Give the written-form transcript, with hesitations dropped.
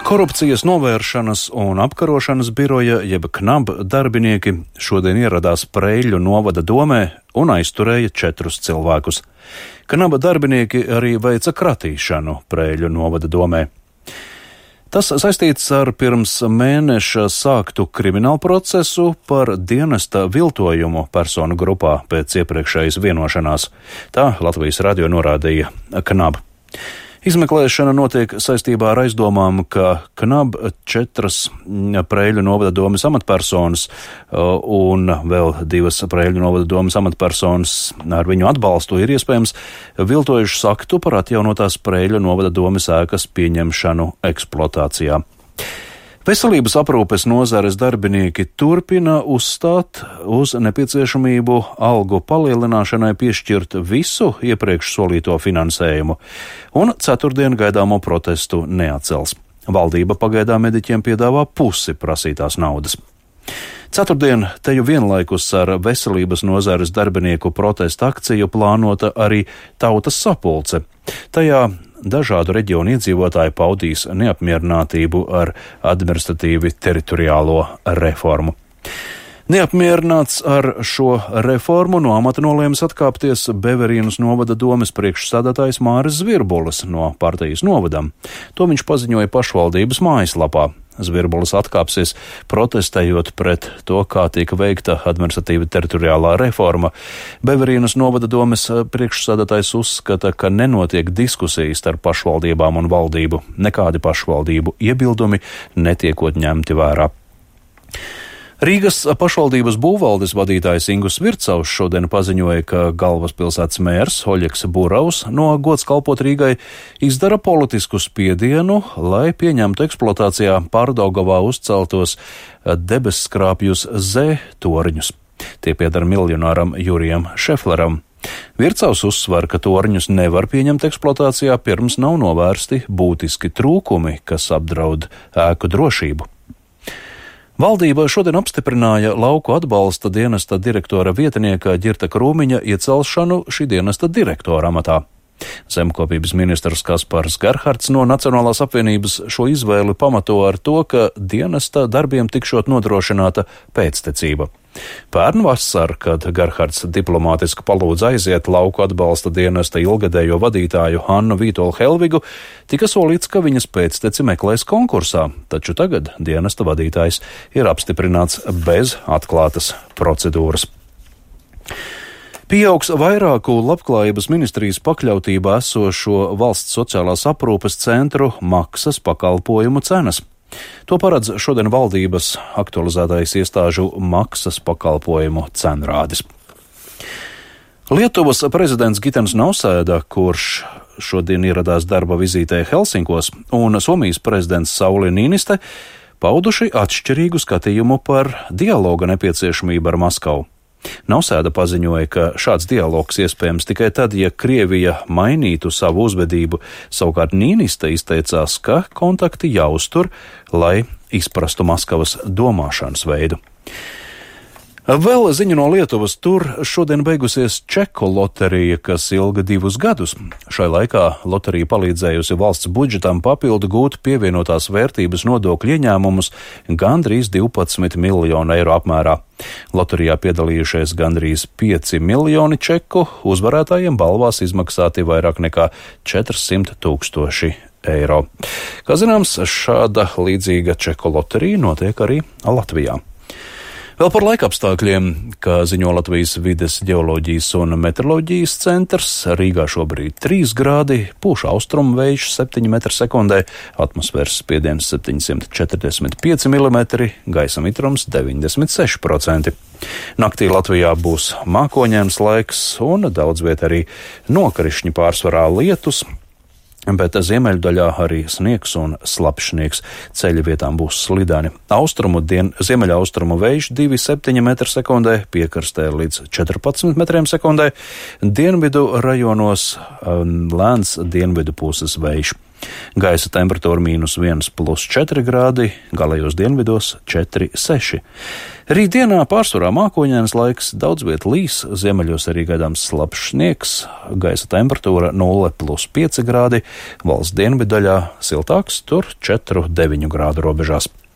Korupcijas novēršanas un apkarošanas biroja jeb KNAB darbinieki šodien ieradās Preiļu novada domē un aizturēja 4 cilvēkus. KNAB darbinieki arī veica kratīšanu Preiļu novada domē. Tas saistīts ar pirms mēneša sāktu kriminālu procesu par dienesta viltojumu personu grupā pēc iepriekšējas vienošanās. Tā Latvijas radio norādīja KNAB. Izmeklēšana notiek saistībā ar aizdomām, ka KNAB 4 Preiļu novada domes amatpersonas un vēl 2 Preiļu novada domes amatpersonas ar viņu atbalstu ir iespējams viltojušas aktu par atjaunotās Preiļu novada domes ēkas pieņemšanu eksploatācijā. Veselības aprūpes nozares darbinieki turpina uzstāt uz nepieciešamību algu palielināšanai piešķirt visu iepriekš solīto finansējumu, un ceturtdien gaidāmo protestu neatcels. Valdība pagaidām mediķiem piedāvā pusi prasītās naudas. Ceturtdien teju vienlaikus ar veselības nozares darbinieku protesta akciju plānota arī tautas sapulce. Tajā dažādu reģionu iedzīvotāji paudīs neapmierinātību ar administratīvi teritoriālo reformu. Neapmierināts ar šo reformu no amata nolēmis atkāpties Beverīnas novada domes priekšsēdētājs Māris Zvirbulis no partijas novadam. To viņš paziņoja pašvaldības mājaslapā. Zvirbulis atkāpsies protestējot pret to, kā tika veikta administratīva teritoriālā reforma. Beverīnas novada domes priekšsēdētājs uzskata, ka nenotiek diskusijas starp pašvaldībām un valdību. Nekādi pašvaldību iebildumi netiekot ņemti vērā. Rīgas pašvaldības būvvaldes vadītājs Ingus Vircaus šodien paziņoja, ka galvaspilsētas mērs Oļegs Buraus no gods kalpot Rīgai izdara politisku spiedienu, lai pieņemtu eksploatācijā Pārdaugavā uzceltos debesskrāpjus Z toriņus. Tie pieder miljonāram Jurijam Šefleram. Vircaus uzsver, ka toriņus nevar pieņemt eksploatācijā, pirms nav novērsti būtiski trūkumi, kas apdraud ēku drošību. Valdība šodien apstiprināja lauku atbalsta dienesta direktora vietnieka Ģirta Krūmiņa iecelšanu šī dienesta direktora amatā. Zemkopības ministrs Kaspars Gerhards no Nacionālās apvienības šo izvēli pamato ar to, ka dienesta darbiem tikšot nodrošināta pēctecība. Pērn vasar, kad Gerhards diplomātiski palūdza aiziet lauku atbalsta dienesta ilgadējo vadītāju Hannu Vītolu Helvigu, tika solīts, ka viņas pēcteci meklēs konkursā, taču tagad dienesta vadītājs ir apstiprināts bez atklātas procedūras. Pieaugs vairāku Labklājības ministrijas pakļautībā esošo valsts sociālās aprūpes centru maksas pakalpojumu cenas. To paredz šodien valdības aktualizētais iestāžu maksas pakalpojumu cenrādis. Lietuvas prezidents Gitans Nausēda, kurš šodien ieradās darba vizītē Helsinkos, un Somijas prezidents Sauli Nīniste pauduši atšķirīgu skatījumu par dialoga nepieciešamību ar Maskavu. Nausēda paziņoja, ka šāds dialogs iespējams tikai tad, ja Krievija mainītu savu uzvedību, savukārt Nīniste izteicās, ka kontakti jāuztur, lai izprastu Maskavas domāšanas veidu. Vēl ziņa no Lietuvas, tur šodien beigusies čeku loterija, kas ilga 2 gadus. Šai laikā loterija palīdzējusi valsts budžetam papildu gūt pievienotās vērtības nodokļu ieņēmumus gandrīz 12 miljonu eiro apmērā. Loterijā piedalījušies gandrīz 5 miljoni čeku, uzvarētājiem balvās izmaksāti vairāk nekā 400 000 eiro. Kā zināms, šāda līdzīga čeku loterija notiek arī Latvijā. Vēl par laikapstākļiem, kā ziņo Latvijas vides ģeoloģijas un meteoroloģijas centrs, Rīgā šobrīd 3 grādi, pūš austrumu vējš 7 m/sekundē, atmosfēras spiediens 745 mm, gaisa mitrums 96%. Naktī Latvijā būs mākoņains laiks un daudz viet arī nokrišņi, pārsvarā lietus, bet ziemeļdaļā arī sniegs un slapšsniegs. Ceļa vietām būs slidani. Ziemeļaustrumu vējš 2,7 m/sekundē, piekrastē līdz 14 m/sekundē, dienvidu rajonos lēns dienvidu puses vējš. Gaisa temperatūra -1 plus 4 grādi, galējos dienvidos 4,6. Rītdienā pārsvarā mākoņdienas laiks, daudz viet līs, ziemeļos arī gaidāms slapjš sniegs, gaisa temperatūra 0 plus 5 grādi, valsts dienvidaļā siltāks, tur 4,9 grādu robežās.